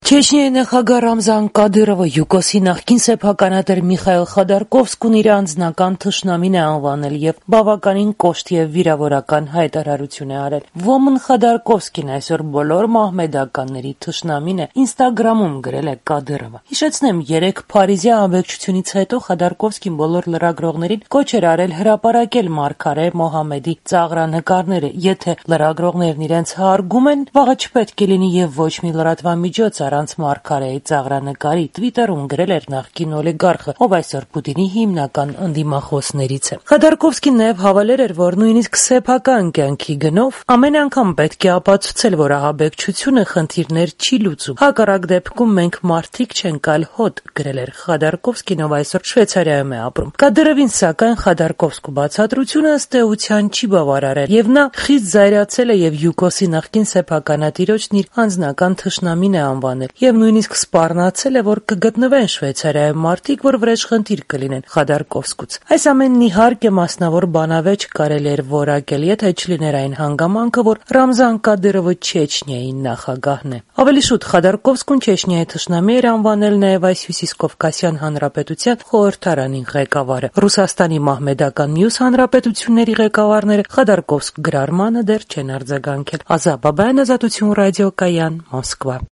Չեչնիայի նախագահ Ռամզան Կադիրովը յուկոսի նախկին սեփականատեր Միխայիլ Խոդորկովսկուն իր անձնական թշնամին է անվանել եւ բավականին կոշտ եւ վիրավորական հայտարարություն է արել։ Ոմն Խոդորկովսկին այսօր բոլոր մահմեդականների թշնամին է, Ինստագրամում գրել է Կադիրովը։ Հիշեցնեմ, երեք Փարիզի ահաբեկչությունից հետո Խոդորկովսկին բոլոր լրագրողներին կոչ էր արել հրապարակել մարգարե Մոհամեդի ծաղրանկարները։ Եթե լրագրողներն իրենց հարգում են, վաղը չպետք է լինի եւ ոչ մի լրատվամիջոց առանց մարգարեի ծաղրանկարի, Twitter-ում գրել էր նախկին օլիգարխը, ով այսօր Պուտինի հիմնական ընդդիմախոսներից է։ Խոդորկովսկին նաև հավելել էր, որ նույնիսկ սեփական կյանքի գնով ամեն անգամ պետք է ապացուցել, որ ահաբեկչությունը խնդիրներ չի լուծում։ Հակառակ դեպքում մենք մարդիկ չենք, այլ հոտ, գրել էր Խոդորկովսկին, ով այսօր Շվեյցարիայում է ապրում։ Կադիրովին, սակայն, Խոդորկովսկու բացատրությունը ըստ էության չի բավարարել, եւ նա խիստ զայրացել է եւ յուկոսի նախկին սեփականատիրոջն իր անձնական թշնամին է անվանել եւ նույնիսկ սպառնացել է, որ կգտնվեն Շվեյցարիայում մարդիկ, որ վրեժխնդիր կլինեն Խոդորկովսկուց։ Այս ամենն իհարկե մասնավոր բանավեճ կարելի էր որակել, եթե չլիներ այն հանգամանքը, որ Ռամզան Կադիրովը Չեչնիայի նախագահն է։ Ավելի շուտ Խոդորկովսկուն Չեչնիայի թշնամի էր անվանել նաեւ այս Հյուսիսկովկասյան հանրապետության խորհրդարանի ղեկավարը։ Ռուսաստանի մահմեդական մյուս հանրապետությունների ղեկավարները Խոդորկովսկ գրառմանը դեռ չեն արձագանքել։ Ազա Բաբայան, Ազատություն ռադիո, Կայան, Մոսկվա։